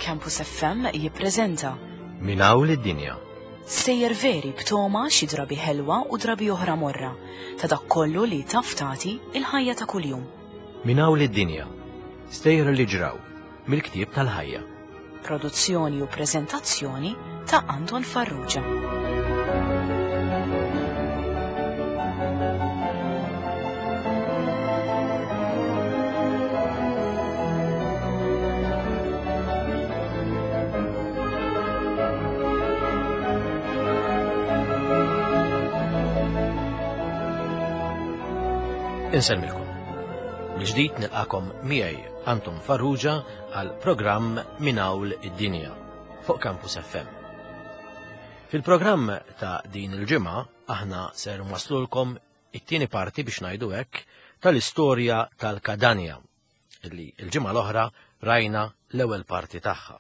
Campus FM jippreżenta Min hawn lid-dinja. Stejjer veri b'toma xi drabi ħelwa u drabi oħra morra ta' dak kollu li taf tagħti il-ħajja ta' kuljum. Min hawn lid-dinja. Stejjer li ġraw mill-ktieb tal-ħajja. Produzzjoni u preżentazzjoni ta' Anton Farrugia. Insellmilkom. Mill-ġdid nilqakom miegħi Anton Farrugia għal programm Minn Hawn id-Dinja fuq Campus FM. Fil-programm ta' din il-ġimgħa aħna ser nwaslulkom it-tieni parti biex ngħidu hekk tal-istorja tal-Kadanja li l-ġimgħa l-oħra rajna l-ewwel parti tagħha.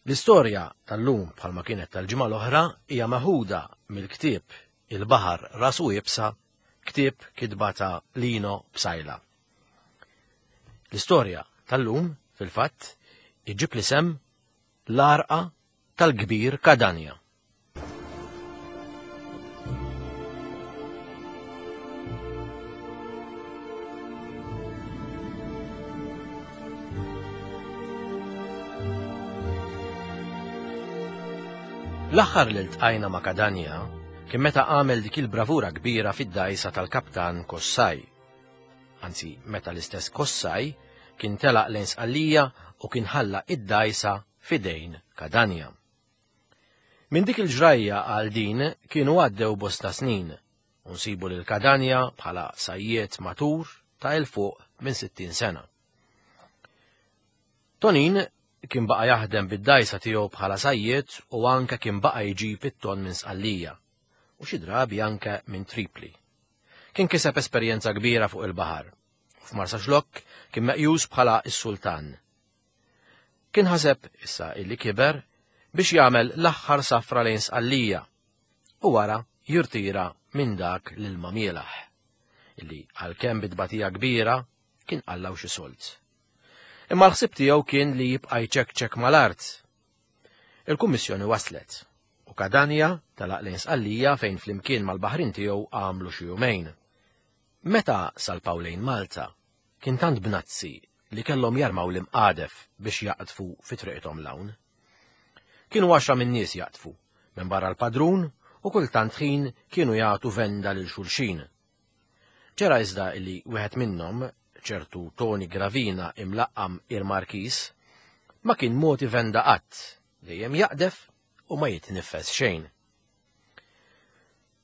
L-istorja tal-lum bħalma kienet tal-ġimgħa l-oħra hija meħuda mill-ktieb Il-Baħar Rasu Iebsa, ktieb kitba ta' Lino Psaila. L-istorja tal-lum, fil-fatt, iġib l-isem L-Għarqa tal-Kbir Kadanja. L-aħħar li ltqajna ma' Kadanja kien meta għamel dik il-bravura kbira fid-dgħajsa tal-kaptan Kossaj. Anzi, meta l-istess Kossaj kien telaq lejn Sqallija u kien ħalla id-dgħajsa f'idejn Kadanja. Minn dik il-ġrajja għal din kienu għaddew bosta snin u nsibu lil Kadanja bħala sajjied matur ta' 'il fuq minn 60 sena. Tonin kien baqa' jaħdem bid-dgħajsa tiegħu bħala sajjied u anke kien baqa' jġib it-tonn minn Sqallija u xi drabi anke minn Tripli. Kien kiseb esperjenza kbira fuq il-baħar u f'Marsaxlokk kien meqjus bħala s-sultan. Kien ħaseb, issa illi kiber, biex jagħmel l-aħħar safra lejn Sqallija u wara jirtira minn dak l-ilma mielaħ, illi għalkemm bi tbatija kbira kien qallaw xi sold. Imma l-ħsieb tiegħu kien li jibqa' jċekċek mal-art. Il-kummissjoni waslet u Kadanja telaq lejn Sqallija fejn flimkien mal-baħrin tiegħu għamlu xi jumejn. Meta salpaw lejn Malta, kien tant bnazzi li kellhom jarmaw l-imqadef biex jaqdfu fi triqithom 'l hawn. Kienu għaxra min-nies jaqdfu, minbarra l-padrun u kultant ħin kienu jagħtu venda lil xulxin. Ġara iżda li wieħed minnhom, ċertu Toni Gravina imlaqqam il-Markiż, ma kien mogħti venda qatt, dejjem jaqdef u ma jitniffes xejn.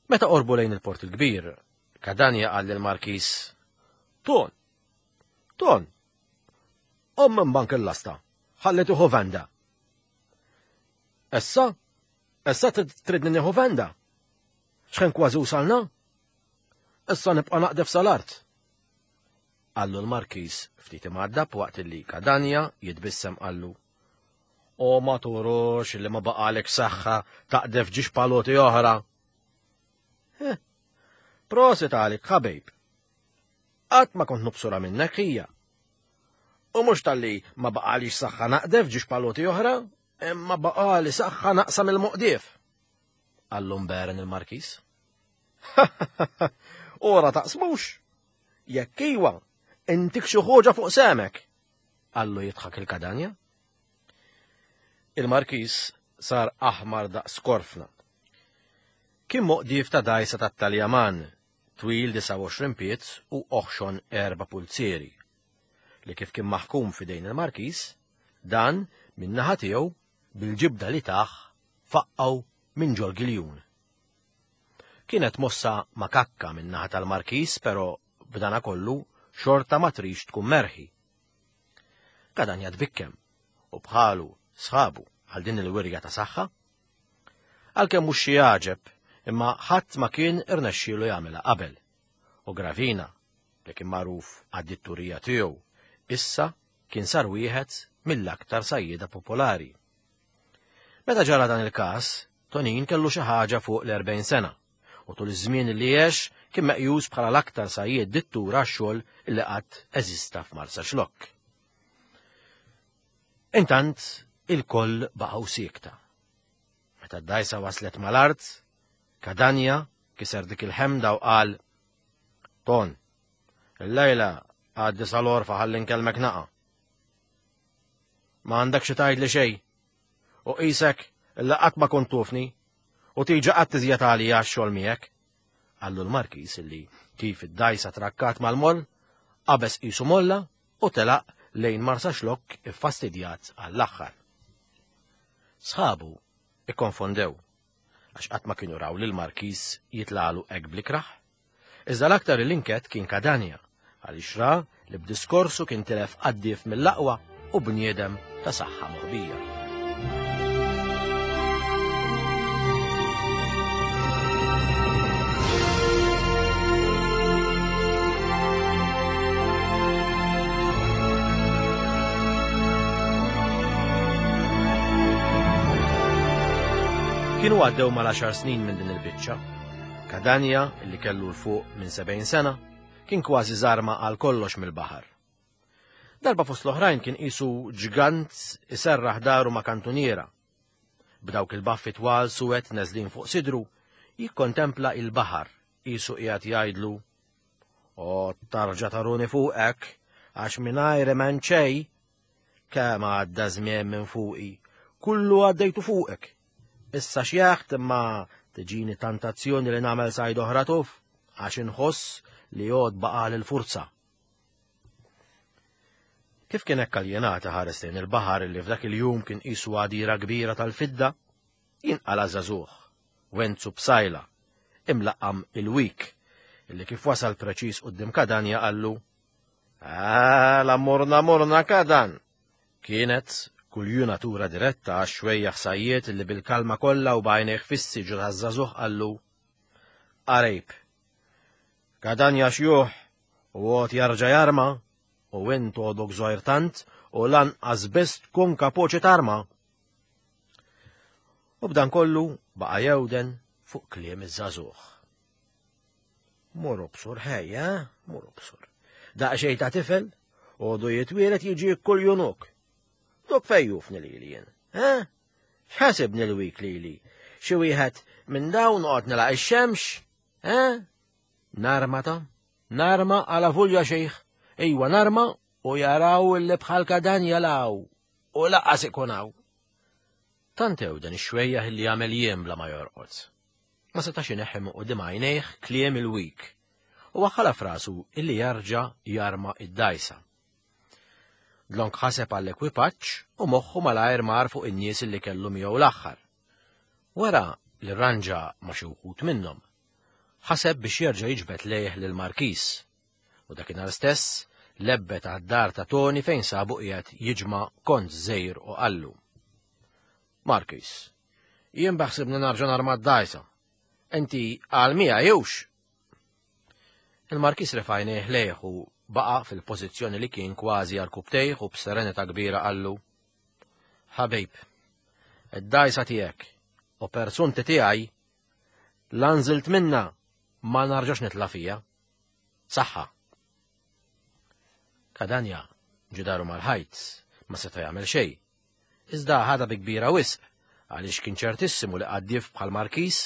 Meta qorbu lejn il-Port il-Kbir, Kadanja qal lill-Markiż, Ton! Ton! Qom minn bank il-lasta, ħalli tieħu venda. Issa? Issa tridni nieħu venda? X'ħin kważi wasalna? Issa nibqa' naqdef sal-art. Qallu l-Markiż ftit imgħaddab waqt li Kadanja jitbissem qallu. O ma turux li ma baqalek saħħa taqdef ġiex paloti oħra. Eh, prosit għalik, ħabib. Qatt ma kont nobsura minnek hija. U mhux talli ma baqalix saħħa naqdef ġiex paloti oħra, imma baqali saħħa naqsam il-moqdief. Qallu mberen il-Markiż. Ora taqsmux! Jekk iwa, intik xi ħoġa fuq semek! Qallu jidħak il-Kadanja. Il-Markiż sar aħmar daqs korfna. Kien moqdief ta' dgħajsa tat-Taljaman, twil 29 pied u oħxon erba' pulzieri, li kif kien maħkum f'idejn il-Markiż, dan, min-naħa tiegħu, bil-ġibda li tah, faqqgħu minn ġol-giljun. Kienet mossa makakka min-naħa tal-Markiż però b'danakollu xorta ma trix tkun merħi. Kadanja tbikkem u bħalu sħabu għal din il-wirja ta' saħħa. Għalkemm mhux xi għaġeb, imma ħadd ma kien irnexxielu jagħmilha qabel. U Gravina, li kien magħruf għad-ditturija tiegħu, issa kien sar wieħed mill-aktar sajjieda popolari. Meta ġara dan il-każ, Tonin kellu xi ħaġa fuq l-40 sena u tul iż-żmien li għex kien meqjus bħala l-aktar sajjied dittur għax-xogħol li qatt eżista f'Marsaxlokk. Intant, il-koll baqgħu siekta. Meta d-dajsa waslet mal-art, Kadanja kiser dik il-ħemda u qal, Ton, il-lejla għaddi sal-orfa ħalli nkellmek naqa. Ma għandek xi tgħidli xejn. U qisek illa qatt ma kont tufni u tiġi qatt iżjed għalija għax-xogħol miegħek. Qallu l-Markiż illi kif id-dajsa trakkat mal-moll, qabeż qisu molla u telaq lejn Marsaxlokk iffastidjat għall-aħħar. Sħabu ikkonfondew għax qatt ma kienu raw lil Markiż jitlagħlu hekk bl-ikrah. Iżda l-aktar li nket kien Kadanja għaliex ra li b'diskorsu kien tilef qaddief mill-aqwa u bniedem ta' saħħa moħbija. Kienu għaddew mal-10 snin minn din il-biċċa. Kadanja, li kellu l fuq minn 70 sena, kien kważi żarma għal kollox mill-baħar. Darba fost l-oħrajn kien qisu ġgant iserraħ daru ma' kantuniera. B'dawk il-baffi twal suwed neżlin fuq sidru, jikkontempla il-baħar qisu qiegħed jgħidlu O tarġa taruni fuqek, għax mingħajr m'hemm xejn, kemm għadda żmien minn fuqi, kullu għaddejtu fuqek. Issa xjaħt imma tiġini tentazzjoni li nagħmel sajd oħra tuf, għax inħoss li għod baqal il-furza. Kif kien hekk aljenata ħares lejn il-baħar li f'dak il-jum kien qisu għadira kbira tal-fidda, jinqala' żagħżugħ, Wenzu Psaila, imlaqqam il-Wik, illi kif wasal preċiż quddiem Kadanja qallu, Għala morna morna Kadan! Kienet kuljunatura diretta għax-xwejjaħ sajjied illi bil-kalma kollha u b'għajnejh fissi ġo taż-żagħżugħ qallu, Qarib. Kadanja xjuħ u għod jarġa' jarma u int għodok żgħir tant u lanqas biss tkun kapoċi tarma. U b'dan kollu baqa' jewden fuq kliem iż-żagħżugħ. Mur obsur ħejja, mur obsur. Daqsxejn ta' tifel, għodu jitwielet jiġi kull junuk. Dok fejn jufni lili jien, eh? X'ħasibni l-wik lili? Xi wieħed minn dawn noqgħod nilaq ix-xemx, eh? Narma ta' narma għala vulja xejħ, ejwa narma u jaraw li bħal kadan jalaw u laqas ikun hawn. Tant dan ix-xwejjaħ li jagħmel jiem bla ma jorqod. Ma setax ineħħi minn quddiem għajnejh kliem il-wik u waħħala frasu illi jarġa' jarma id-dajsa. Dlonk ħaseb għall-ekwipaġġ u moħħu malajr mar fuq in-nies illi kellu miegħu l-aħħar. Wara li rranġa ma' xi wħud minnhom, ħaseb biex jerġa' jiġbed lejh lill-Markiż u dakinhar stess lebbet għad-dar ta' Toni fejn sabu qiegħed jiġma' kont żgħir u qallu. Markiż, jien beħsibni narġa' narma d-dgħajsa. Inti għal miegħi hux? Il-Markiż refa' għajnejh lejh u baqa' fil-pożizzjoni li kien kważi għarkupptejh u b'serenità kbira qallu, Ħabib, id-dgħajsa tiegħek u persunti tiegħi la nżilt minna ma narġax nitla' fija. Saħħa. Kadanja ġidaru mal-ħajt ma seta' jagħmel xejn. Iżda ħadha bi kbira wisq għaliex kien ċertissimu li qaddief bħal Markiż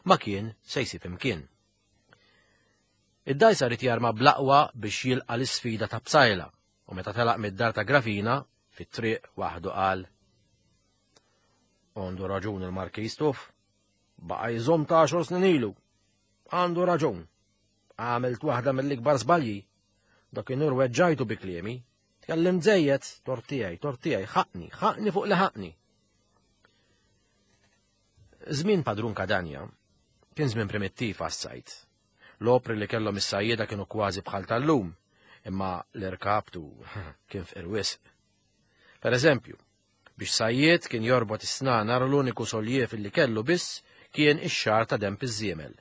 ma kien se jsib imkien. Id-dgħajsa ried jarma bl-aqwa biex jilqa' l-isfida ta' Psaila u meta telaq mid-dar ta' Grafina fit-triq waħdu qal Għandu raġun il-Markiż tuf, baqa' jżomm ta' għaxor snin ilu. Għandu raġun. Għamilt waħda mill-ikbar żbalji. Dakinhar weġġajtu bi kliemi. Tkellimt żejjed, tort tiegħi, tort tiegħi, ħaqni, ħaqni fuq li ħaqni. Żmien Padrun Kadanja kien żmien primittiv għas-sajd. L-opri li kellhom is-sajjieda kienu kważi bħal tal-lum, imma l-irkaptu kien fqir wisq. Per eżempju, biex sajjied kien jorbot is-snanar l-uniku soljev li kellu biss kien ix-xagħar ta' denb iż-żiemel,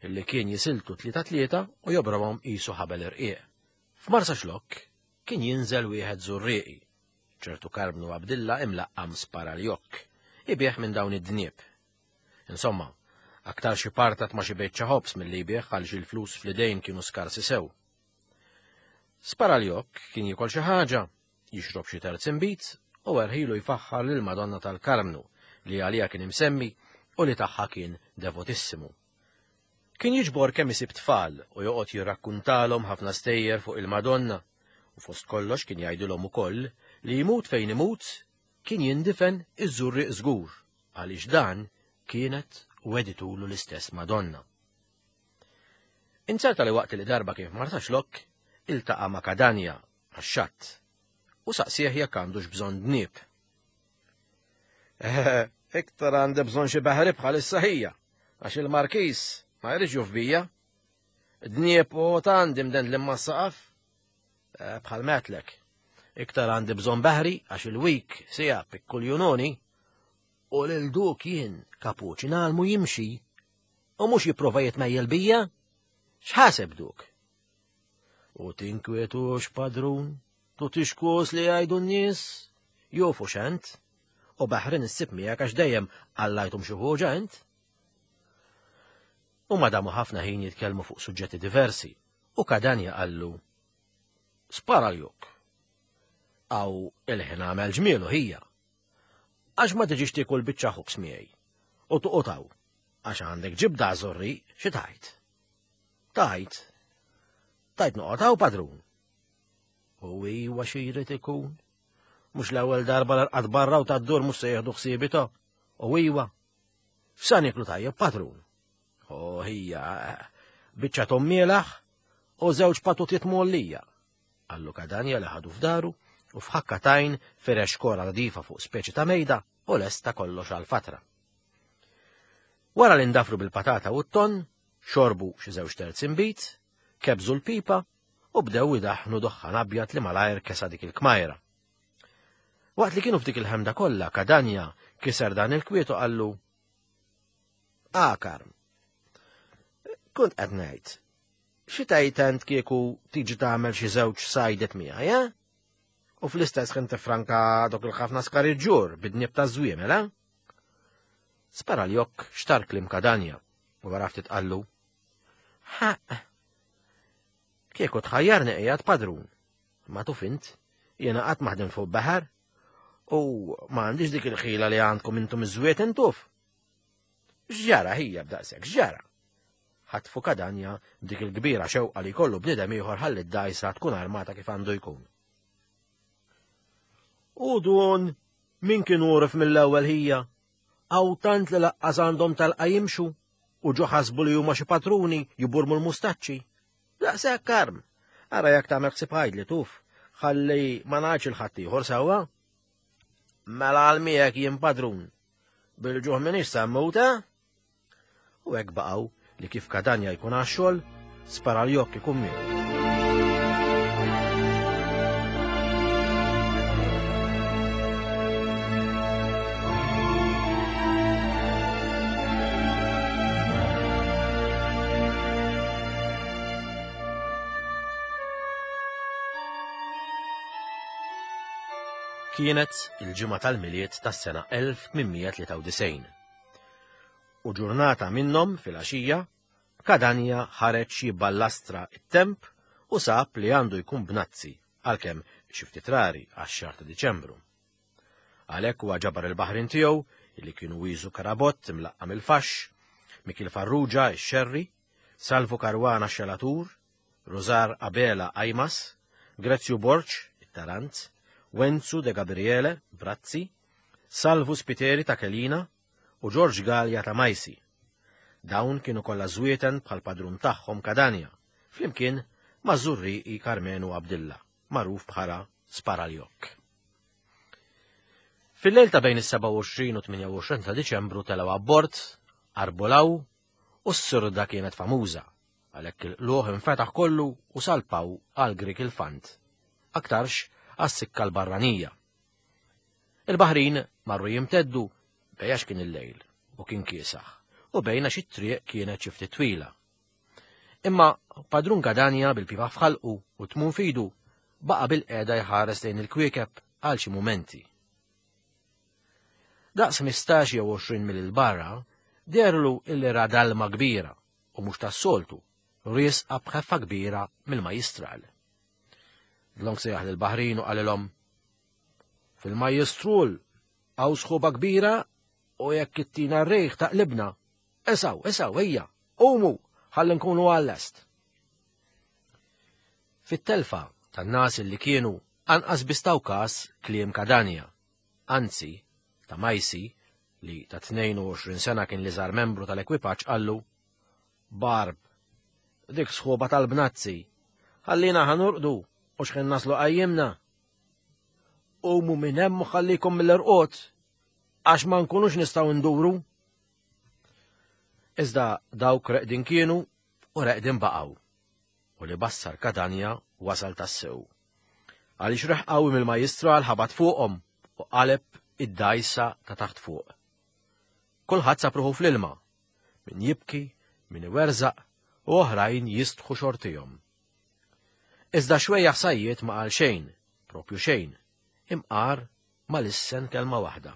illi kien jisiltu tlieta tlieta u jobromhom qisu ħabel irqiq. F'Marsaxlokk kien jinżel wieħed Żurrieqi, ċertu Karmnu Abdilla imlaqqam Sparaljokk, ibigħ minn dawn id-dnieb. Insomma, aktarx ipartat ma' xi biċċa ħobż milli jbigħ għaliex il-flus fl-idejn kienu skarsi sew. Sparaljokk kien jiekol xi ħaġa, jixrob xi terz inbid u erħilu jfaħħar lil Madonna tal-Karmnu li għaliha kien imsemmi u li tagħha kien devotissimu. Kien jiġbor kemm isib tfal u joqgħod jirrakkuntalhom ħafna stejjer fuq il-Madonna u fost kollox kien jgħidilhom ukoll li jmut fejn imut kien jindifen iż-Żurrieq żgur għaliex dan kienet weditulu l-istess Madonna. Inzerta li waqt li darba kien f'Marsaxlokk iltaqa' ma' Kadanja għax-xatt u saqsieh jekk għandux bżonn dnieb. Eh, iktar għandi bżonn xi baħri bħalissa ħija, għax il-markis ma jridx juf bija. Dnieb u għandi mdend li saqaf. Eh, bħal metlek. Iktar għandi bżonn baħri għax il-wik sija pikkuljunoni u lil duk jien kapuċi nagħlmu jimxi u mhux jipprova jitmejjel bija. X'ħaseb duk? U tinkwetux padrun, tu tixkus li jgħidu n-nies, jofu xent, u baħrin issib miegħek għax dejjem għallajtum xi ħuġa int. U madamu ħafna ħin jitkellmu fuq suġġetti diversi, u Kadanja qallu, Spara l-juk. Aw il-ħin għamel ġmielu ħija. Għax ma tiġix tiekol biċċa ħobż miegħi. U toqgħod hawn, għax għandek ġibda żorri xi tajt. Tajt. Tajt noqgħod hawn padrun. U iwa xi jrid ikun. Mhux l-ewwel darba l-arqad barra u tad-dur mhux se jieħdu ħsiebi ta' U iwa. F'sa nieklu tajjeb padrun. O hija biċċa tommielaħ u żewġ patutiet mgħollija. Qallu Kadanja li ħadu f'daru u f'ħakka tajn firex kora nadifa fuq speċi ta' mejda u lesta kollox għal fatra. Wara li ndafru bil-patata u t-ton, xorbu xi żewġ terzi nbid, kebżu l-pipa u bdew idaħħnu duħħan abjad li malajr kesa dik il-kmajra. Waqt li kienu f'dik il-ħemda kollha, Kadanja kiser dan il-kwiet u qallu Ah, Karm, kont qed ngħid, xi tgħid ent kieku tiġi tagħmel xi żewġ sajdet miegħi, eh? U fl-istess ħin tifranka dok il-ħafna skariġġur bid-dnieb ta' żwiemel, eh? Spara l-jokk xtar klim kadanja u wara ftit qallu. Ħaq. Kieku tħajjarni qiegħed padrun. Ma tuf int, jiena qatt maħdem fuq baħar u ma għandix dik il-ħila li għandkom intom iż-żwiet intuf. X'ġara ħija b'daqshekk, x'ġara? Ħatfu kadanja b'dik il-kbira xewqa li jkollu bniedem ieħor ħalli d-dgħajsa tkun armata kif għandu jkun. U dun min kien urf mill-ewwel ħija? Hawn tant li laqqas għandhom talqa jimxu u ġo ħasbu li huma xi patruni jiburmu l-mustaċċi. Daqshekk karm. Ara jekk tagħmel ħsieb ħajdli tuf, ħalli ma ngħidx il-ħaddieħor sewwa. Mela għal miegħek jien padrun. Bil-ġuħ minix sa mmut, eh? U hekk baqgħu li kif Kadanja jkun għax-xogħol, spara l-jokk ikun miegħu. Kienet il-ġimgħa tal-Milied tas-sena 1893. U ġurnata minnhom filgħaxija, Kadanja ħareġ jibballastra t-temp u sab li għandu jkun bnazzi, għalkemm xi ftit rari għax-xahar ta' Diċembru. Għalhekk huwa ġabar il-baħrin tiegħu li kienu Wiżu Karabott imlaqqam il-Faxx, Mikiel Farrugia ix-Xerri, Salvu Caruana x-Xelatur, Rużar Abela Ajmas, Grezzju Borg, it-Tarant, Wenzu De Gabriele, Brazzi, Salvu Spiteri ta' Kelina u Ġorġ Galea ta' Majsi. Dawn kienu kollha żwieten bħall-padrun tagħhom Kadanja, flimkien maż-Żurrieqi Karmenu Abdilla, magħruf bħala Sparaljokk. Fil-lejl ta' bejn is-27 u 28 ta' Diċembru telgħu abbord, arbolaw u s-sirda kienet famuża, għalhekk il-qlugħ infetaħ kollu u salpaw għal Grik il-Fant, aktarx għas-sikka l-barranija. Il-baħrin marru jimteddu bejn għax kien il-lejl u kien kiesaħ u bejn għax it-triq kienet xi ftit twila. Imma Padrun Gadanja bil-pipa f'ħalqu u tmun fidu baqa' bil-qiegħda jħares lejn il-kwiekeb għal xi mumenti. Daqs 15 jew 20 mil 'il barra, deherlu illi ra dalma kbira u mhux tas-soltu, riesqa b'ħeffa kbira mill-majjistral. Dlonk sejjaħ lill-baħrin u qalilhom, Fil-Majjistrul hawn sħuba kbira u jekk ittina r-riħ taqlibna. Esaw, esaw, ejja, qumu, ħalli nkunu għal-lest. Fit-telfa tan-nas li kienu anqas biss taw kas kliem Kadanja. Anzi, ta' Majsi, li ta' 22 sena kien l-iżgħar membru tal-ekwipaġġ qallu, Barb, dik sħuba tal-bnazzi, ħallina ħa norqdu u x'ħin naslu qajjimna. Qumu minn hemm u ħallikom mill-irqod għax ma nkunux nistgħu nduru. Iżda dawk reqdin kienu u reqdin baqgħu. U li bassar Katanja wasal tassew. Għaliex reħ qawwi mill-majjistral ħabat fuqhom u qaleb id-dgħajsa ta' taħt fuq. Kulħadd sab ruħu fl-ilma, min jibki, min iwerżaq u oħrajn jistħu xortihom. Iżda xwejjaħ sajjied ma qal xejn, propju xejn, imqar ma lissen kelma waħda.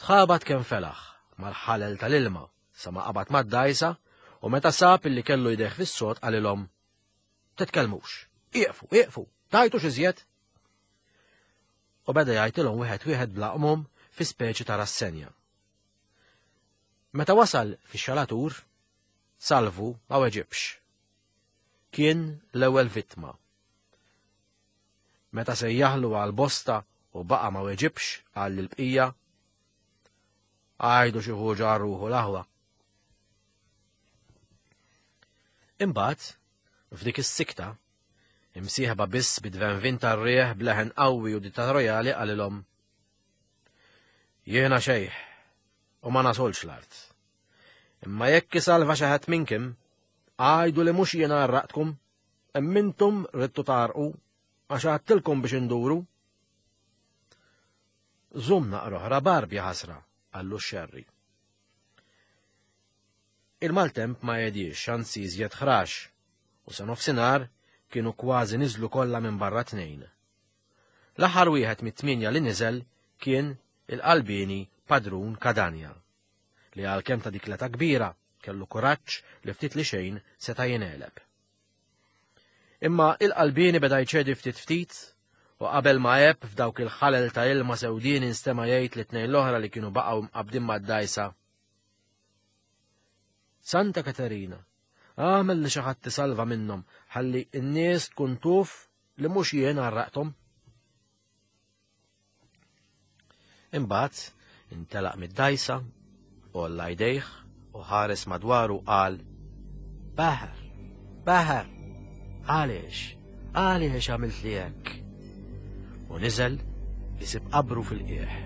Tħabat kemm felaħ mal-ħalel tal-ilma sa ma qabad mad-dgħajsa u meta sab illi kellu jdejh fis-sod qalilhom Titkellmux, ieqfu, ieqfu, tgħajtux iżjed. U beda jgħajtilhom wieħed wieħed bla qmum fi speċi ta' rassenja. Meta wasal fix-xalatur, Salvu ma weġibx. Kien l-ewwel vittma. Meta sejjaħlu għal bosta u baqa' ma weġibx qal lill-bqija, Għajdu xi ħuġa għal ruħu l-aħwa. Imbagħad, f'dik is-sikta, imsieħba biss bid-dvenvin tar-riħ b'leħen qawwi u dittatorjali qalilhom, Jiena xejħ u ma nasolx l-art. Imma jekk isalva xi ħadd minnkim, għajdu li mhux jiena għarraqtkom, imma intom ridtu tgħarrqu għax għadtilkom biex induru. Żomm naqra oħra barb ja ħasra, qallu x-xerri. Il-maltemp ma għediex, anzi iżjed ħrax, u sa nofsinhar kienu kważi niżlu kollha minn barra tnejn. L-aħħar wieħed mit-tmienja li niżel kien il-qalbieni Padrun Kadanja, li għalkemm ta' dik l-età kbira kellu kuraġġ li ftit li xejn seta' jingħeleb. Imma il-qalbieni beda jċedi ftit ftit u qabel ma għeb f'dawk il-ħalel ta' ilma sewdien instema' jgħid lit-tnejn l-oħra li kienu baqgħu mqabbdin mad-dgħajsa. Santa Katerina, agħmel li xi ħadd isalva minnhom ħalli n-nies tkun tuf li mhux jien għarraqthom. Imbagħad intelaq mid-dgħajsa, għolla jdejh u ħares madwaru qal Baħar, baħar, għaliex, għaliex għamilt li hekk? U niżel isib qabru fil-qiegħ.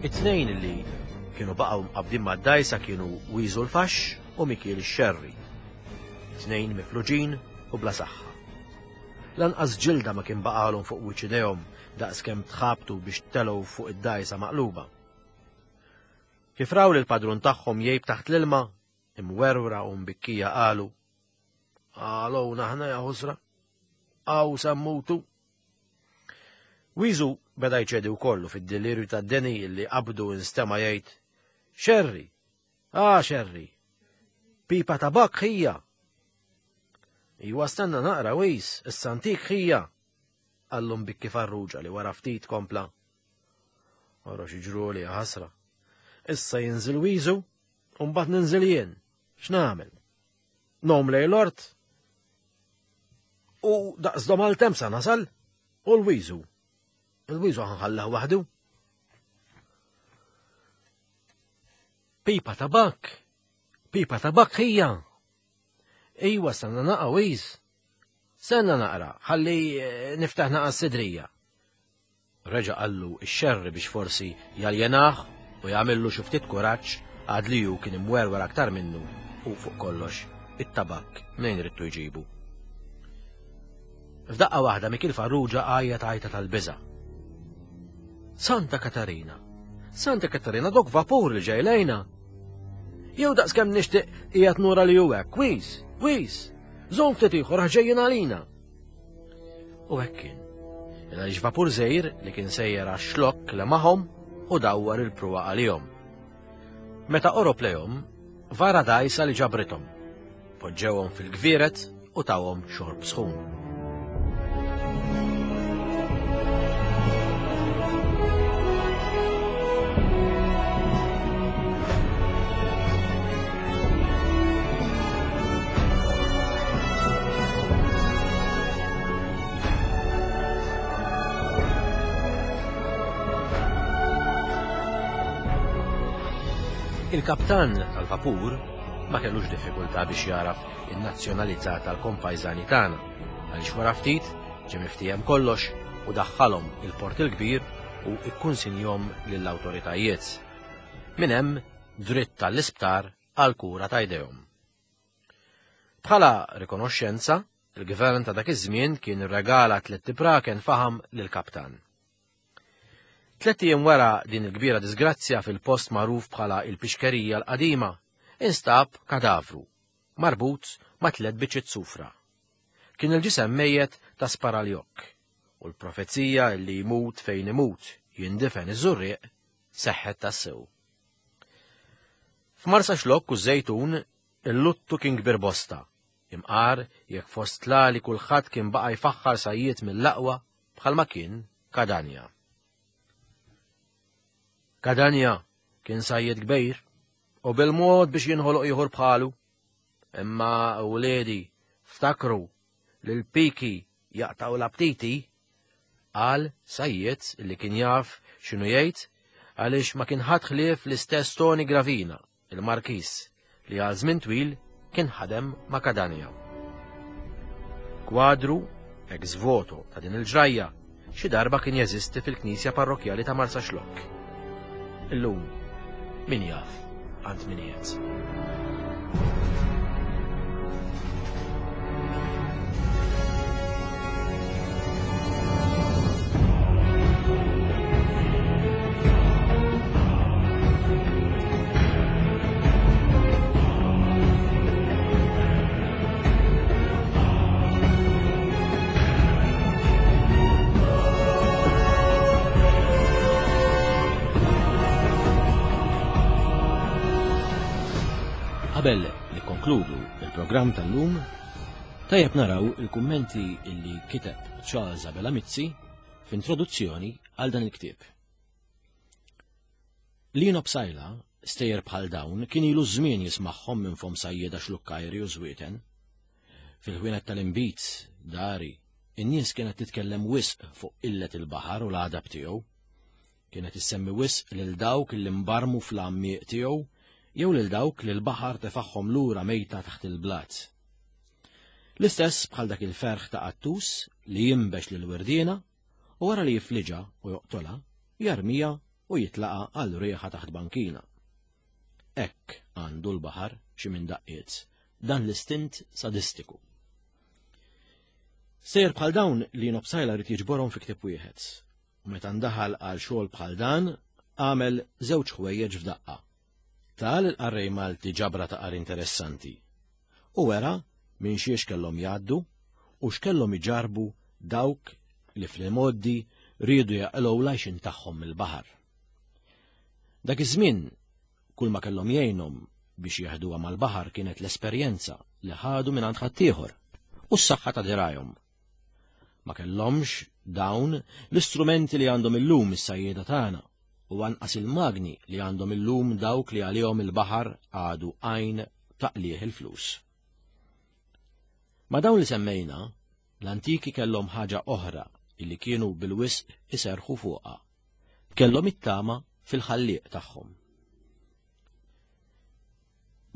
It-tnejn li kienu baqgħu mqabbdin mad-dgħajsa kienu Wiżu l-Faxx u Mikiel ix-Xerri. Tnejn mifluġin u bla saħħa. Lanqas ġilda ma kien baqgħalhom fuq wiċċ idejhom daqskemm tħabtu biex telgħu fuq id-dgħajsa maqluba. Kif raw lill-padrun tagħhom jgħib taħt l-ilma, imwerwra u mbikkija qalu, Għalowna aħna ja ħusra, għaw sammutu. Wiżu beda jċedi wkoll u fid-delirju tad-deni li qabdu instema' jgħid, Xerri, ah xerri, pipa tabak ħija. Iwa stenna naqra wis, issa ntik ħija. Qallu mbikki Farrugia li wara ftit kompla. Ora xi ġruli ħasra. Issa jinżil wiżu u mbagħad ninżil jien. X'nagħmel? Nom lej l-ort? U daqs domal tem sa nasal? U l-wiżu. Il-wiżu ħanħallah waħdu. Pipa tabak. Pipa tabak hija. Iwa stanna naqa' wiż. Stenna naqra, ħalli eh, niftaħ naqa' s-sidrija. Reġa' qallu x-xerri biex forsi jaljenah u jagħmillu xi ftit kuraġġ għad li hu kien imwerwer aktar minnu u fuq kollox it-tabakk mnejn ridtu jġibu. F'daqqa waħda Mikiel Farrugia għajjat għajta tal-biża'. Santa Katarina! Santa Katarina dok vapur li ġej lejna! Jew daqskemm nixtieq qiegħed nura li hu hekk, wis! Wis, żomm ftit ieħor għax ġejjin għalina. U hekk kien. Għaliex vapur żgħir li kien sejjer għax-xlokk lemaħhom u dawwar il-pruwa għalihom. Meta qorob lejhom, vara dgħajsa li ġabrithom. Poġġewhom fil-gvieret u tawhom xorb sħun. Il-kaptan tal-vapur ma kellux diffikultà biex jaraf in-nazzjonalità tal-kompajżani tagħna għaliex wara ftit ġie miftiehem kollox u daħħalhom il-Port il-Kbir u ikkunsinjhom lill-awtoritajiet. Minn hemm dritt għall-isptar għall-kura ta' jdejhom. Bħala rikonoxxenza, il-gvern ta' dak iż-żmien kien irregala tlett ibraken faħam lill-kaptan. Tlett ijiem wara din il-kbira disgrazzja fil-post magħruf bħala il-Pixkerija l-Qadima, instab kadavru, marbut ma' tlett biċċiet sufra. Kien il-ġisem mejjet ta' Sparaljokk, u l-profezija li jmut fejn imut jindifen iż-Żurrieq seħħet tassew. F'Marsaxlokk u ż-Żejtun il-luttu kien kbir bosta, imqar jekk fost l-għali kulħadd kien baqa' jfaħħar sajjied mill-aqwa bħalma kien Kadanja. Kadanja kien sajjied kbir u bil-mod biex jinħoloq ieħor bħalu. Imma wliedi ftakru li l-piki jaqtgħu l-aptiti, qal sajjied li kien jaf x'inhu jgħid għaliex ma kien ħadd ħlief l-istess Tony Gravina, il-Markiż, li għal żmien twil kien ħadem ma' Cadania. Kwadru ex voto ta' din il-ġrajja xi darba kien jeżisti fil-knisja parrokkjali ta' Marsaxlokk. Illum, min jaf għand min qiegħed. Qabel nikkonkludu il-programm tal-lum, tajjeb naraw il-kummenti illi kiteb Charles Abela Mizzi f'introduzzjoni għal dan il-ktieb. Lino Psaila, stejjer bħal dawn, kien ilu żmien jismagħhom minn fom sajjieda xlukkajri u żwieten. Fil-ħwienet tal-inbid, dari, in-nies kienet titkellem wisq fuq qillet il-baħar u l-għadab tiegħu. Kienet issemmi wisq lil dawk li mbarmu fl-għammieq tiegħu jew lil dawk li l-baħar tefagħhom lura mejta taħt il-blat. L-istess bħal dak il-ferħ ta' qattus li jinbex lil wirdiena u wara li jifliġha u joqtolha, jarmiha u jitlaqa' għal riħa taħt bankina. Hekk għandu l-baħar xi minn daqqiet, dan l-istint sadistiku. Sejjer bħal dawn li Psaila rrid jiġborhom fi ktieb wieħed. U meta ndaħal għal xogħol bħal dan, għamel żewġ ħwejjeġ f'daqqa. Ta lill-qarrej Malti ġabra ta' qari interessanti u wera minn xiex kellhom jgħaddu u x'kellhom iġarrbu dawk li fl-imgħoddi riedu jaqilgħu l-għajxien tagħhom mill-baħar. Dak iż-żmien kull ma kellhom jgħinhom biex jeħduha mal-baħar kienet l-esperjenza li ħadu mingħand ħaddieħor u s-saħħa ta' dirgħajhom. Ma kellhomx dawn l-istrumenti li għandhom illum is-sajjieda tagħna u anqas il-magni li għandhom illum dawk li għalihom il-baħar għadu għajn ta' qligħ il-flus. Ma' dawn li semmejna, l-antiki kellhom ħaġa oħra illi kienu bil-wisq iserrħu fuqha. Kellhom it-tama fil-Ħallieq tagħhom.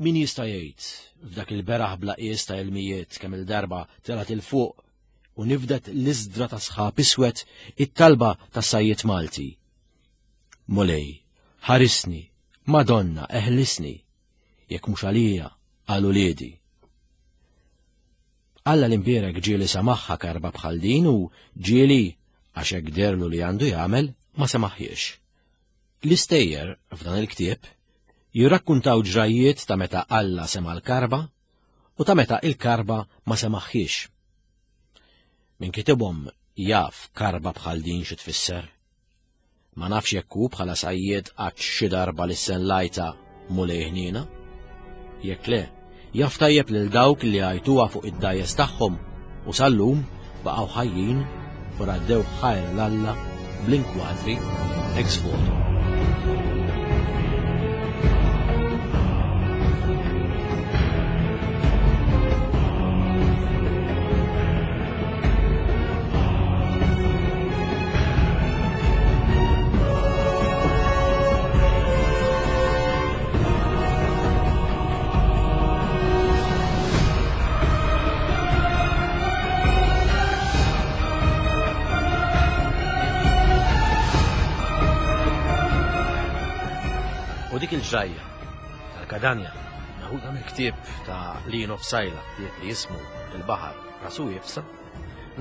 Min jista' jgħid f'dak il-beraħ bla qies ta' ilmijiet kemm-il darba telgħet 'il fuq u nifdet l-isdra ta' sħab iswed it-talba tas-sajjied Malti. Mulej, ħarisni, Madonna, eħlisni, jekk mhux għalija, għal uliedi. Alla l-imbierek ġieli semaħħa karba bħal din u ġieli, għax hekk deherlu li għandu jagħmel, ma semaħħiex. L-istejjer f'dan il-ktieb jirrakkuntaw ġrajjiet ta' meta Alla sema' l-karba u ta' meta il-karba ma semaħħiex. Min kitibhom jaf karba bħal din xi tfisser. Ma nafx jekk hu bħala sajjied qattx xi darba lissen l-għajta Mulej ħniena. Jekk le, jaf tajjeb lil dawk li għajtuha fuq id-dgħajjes tagħhom u sal-lum baqgħu ħajjin u raddew ħajr 'l Alla bl-inkwatri ex voto. U dik il-ġrajja tal-Kadanja meħuda mill-ktieb ta' Lino Psaila, ktieb li jismu Il-Baħar Rasu Iebsa,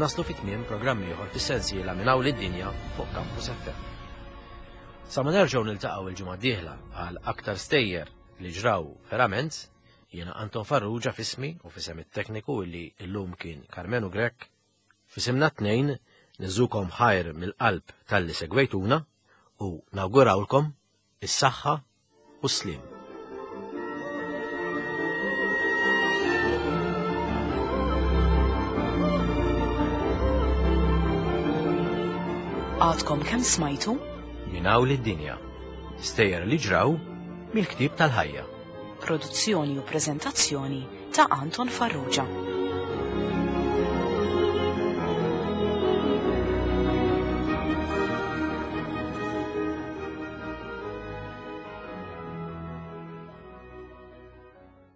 Naslu fi tmiem programm ieħor fis-sensiela Minn Hawn lid-Dinja fuq Campus FM. Sa ma nerġgħu niltaqgħu il-ġimgħa d-dieħla għal aktar stejjer li ġraw verament, jiena Anton Farrugia f'ismi u f'isem it-tekniku illi llum kien Karmenu Grech, f'isimna t-tnejn niżukom ħajr mill-qalb talli segwejtuna u nawgurawlkom is-saħħa u s-sliem. Għadkom kemm smajtu? Minn hawn lid-dinja. Stejjer li ġraw mill-ktieb tal-ħajja. Produzzjoni u preżentazzjoni ta' Anton Farrugia.